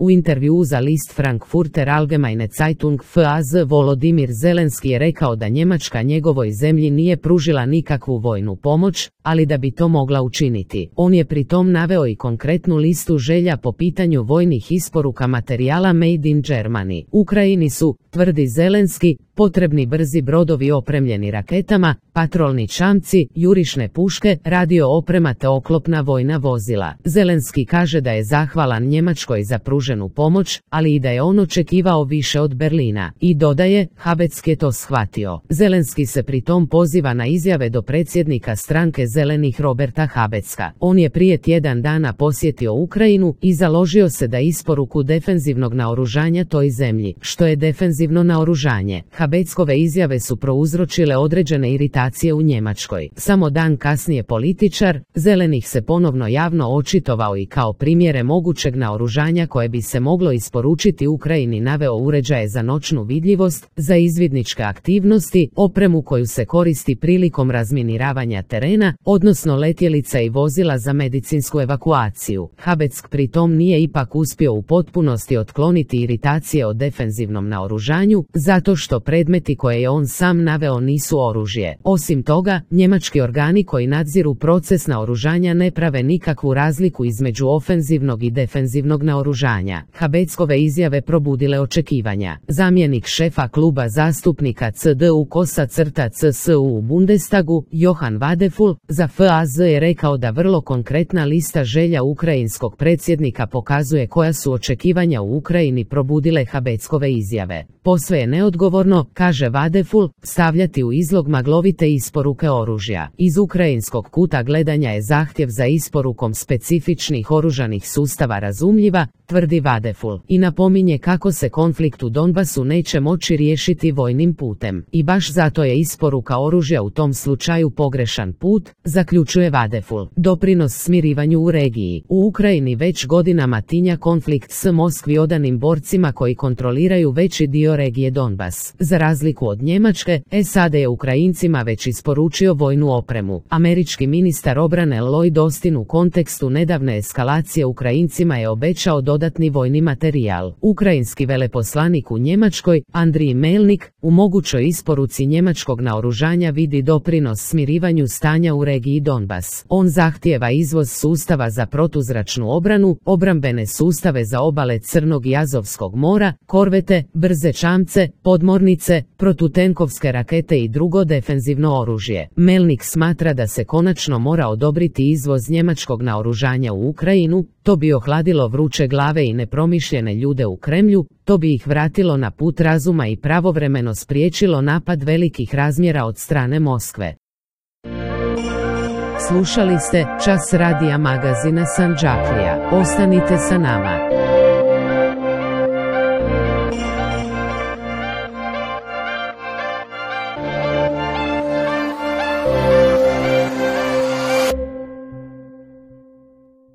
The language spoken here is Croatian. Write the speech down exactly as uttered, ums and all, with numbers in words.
U intervjuu za list Frankfurter Allgemeine Zeitung F A Z Volodimir Zelenski je rekao da Njemačka njegovoj zemlji nije pružila nikakvu vojnu pomoć, ali da bi to mogla učiniti. On je pritom naveo i konkretnu listu želja po pitanju vojnih isporuka materijala Made in Germany. Ukrajini su, tvrdi Zelenski, potrebni brzi brodovi opremljeni raketama, patrolni čamci, jurišne puške, radio oprema te oklopna vojna vozila. Zelenski kaže da je zahvalan Njemačkoj za pruženu pomoć, ali i da je on očekivao više od Berlina. I dodaje, Habeck je to shvatio. Zelenski se pritom poziva na izjave do predsjednika stranke Zelenih Roberta Habecka. On je prije tjedan dana posjetio Ukrajinu i založio se da isporuku defenzivnog naoružanja toj zemlji. Što je defenzivno naoružanje? Habeckove izjave su prouzročile određene iritacije u Njemačkoj. Samo dan kasnije političar Zelenih se ponovno javno očitovao i kao primjere mogućeg naoružanja koje bi se moglo isporučiti Ukrajini naveo uređaje za noćnu vidljivost, za izvidničke aktivnosti, opremu koju se koristi prilikom razminiravanja terena, odnosno letjelica i vozila za medicinsku evakuaciju. Habeck pritom nije ipak uspio u potpunosti otkloniti iritacije o defenzivnom naoružanju, zato što predmeti koje je on sam naveo nisu oružje. Osim toga, njemački organi koji nadziru proces naoružanja ne prave nikakvu razliku između ofenzivnog i defenzivnog naoružanja. Habeckove izjave probudile očekivanja. Zamjenik šefa kluba zastupnika C D U Kosa crta C S U u Bundestagu, Johann Wadefull, za F A Z je rekao da vrlo konkretna lista želja ukrajinskog predsjednika pokazuje koja su očekivanja u Ukrajini probudile Habeckove izjave. Posve je neodgovorno, kaže Wadefull, stavljati u izlog maglovite isporuke oružja. Iz ukrajinskog kuta gledanja je zahtjev za isporukom specifičnih oružanih sustava razumljiva, tvrdi Wadefull, i napominje kako se konflikt u Donbasu neće moći riješiti vojnim putem. I baš zato je isporuka oružja u tom slučaju pogrešan put, zaključuje Wadefull. Doprinos smirivanju u regiji. U Ukrajini već godinama tinja konflikt s Moskvi odanim borcima koji kontroliraju veći dio regije Donbas. Za razliku od Njemačke, S A D je Ukrajincima već isporučio vojnu opremu. Američki ministar obrane Lloyd Austin u kontekstu nedavne eskalacije Ukrajincima je obećao dodatni vojni materijal. Ukrajinski veleposlanik u Njemačkoj, Andrij Melnik, u mogućoj isporuci njemačkog naoružanja vidi doprinos smirivanju stanja u regiji Donbas. On zahtijeva izvoz sustava za protuzračnu obranu, obrambene sustave za obale Crnog i Azovskog mora, korvete, brze čamce, podmornice, protutenkovske rakete i drugo defenzivno oružje. Melnik smatra da se konačno mora odobriti izvoz njemačkog naoružanja u Ukrajinu, to bi ohladilo vruće glave i nepromišljene ljude u Kremlju, to bi ih vratilo na put razuma i pravovremeno spriječilo napad velikih razmjera od strane Moskve. Slušali ste Čas radija magazina Sandžaklija. Ostanite sa nama.